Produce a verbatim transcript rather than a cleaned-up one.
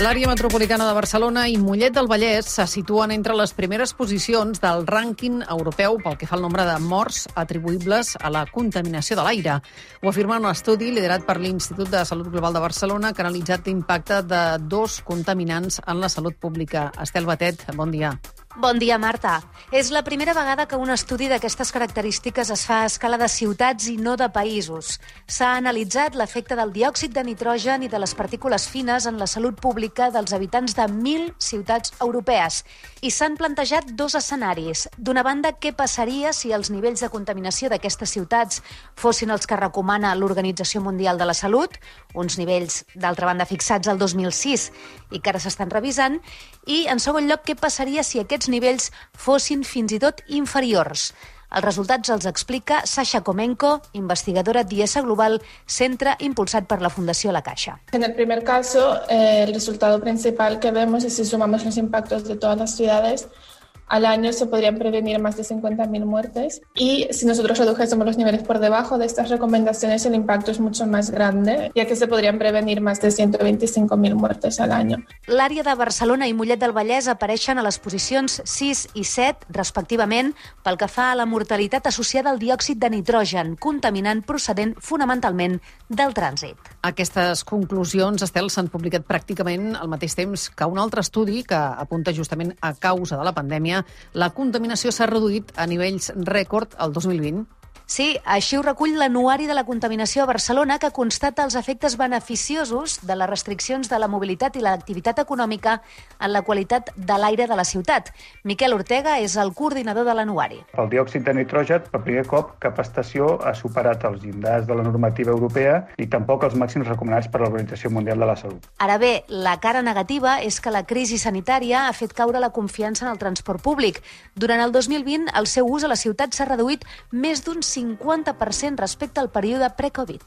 L'àrea metropolitana de Barcelona i Mollet del Vallès se situen entre les primeres posicions del rànquing europeu pel que fa al nombre de morts atribuïbles a la contaminació de l'aire. Ho afirma un estudi liderat per l'Institut de Salut Global de Barcelona que ha analitzat l'impacte de dos contaminants en la salut pública. Estel Batet, bon dia. Bon dia, Marta. És la primera vegada que un estudi d'aquestes característiques es fa a escala de ciutats i no de països. S'ha analitzat l'efecte del diòxid de nitrogen i de les partícules fines en la salut pública dels habitants de mil ciutats europees. I s'han plantejat dos escenaris. D'una banda, què passaria si els nivells de contaminació d'aquestes ciutats fossin els que recomana l'Organització Mundial de la Salut, uns nivells, d'altra banda, fixats al dos mil sis i que ara s'estan revisant, i, en segon lloc, què passaria si aquests nivells fossin fins i tot inferiors. Els resultats els explica Sasha Comenko, investigadora d'I E S Global, centre impulsat per la Fundació La Caixa. En el primer caso, eh, el resultado principal que vemos es si sumamos los impactos de todas las ciudades, al año se podrían prevenir más de cincuenta mil muertes y si nosotros redujésemos los niveles por debajo de estas recomendaciones el impacto es mucho más grande, ya que se podrían prevenir más de ciento veinticinco mil muertes al año. L'àrea de Barcelona i Mollet del Vallès apareixen a les posicions sis i set, respectivament, pel que fa a la mortalitat associada al diòxid de nitrogen, contaminant procedent fonamentalment del trànsit. Aquestes conclusions, Estel, s'han publicat pràcticament al mateix temps que un altre estudi que apunta justament a causa de la pandèmia la contaminació s'ha reduït a nivells rècord el dos mil vint. Sí, així ho recull l'Anuari de la Contaminació a Barcelona, que constata els efectes beneficiosos de les restriccions de la mobilitat i l'activitat econòmica en la qualitat de l'aire de la ciutat. Miquel Ortega és el coordinador de l'Anuari. El diòxid de nitrogen, per primer cop, cap estació ha superat els llindars de la normativa europea i tampoc els màxims recomanats per l'Organització Mundial de la Salut. Ara bé, la cara negativa és que la crisi sanitària ha fet caure la confiança en el transport públic. Durant el dos mil vint, el seu ús a la ciutat s'ha reduït més d'un cinquanta per cent respecte al període pre-Covid.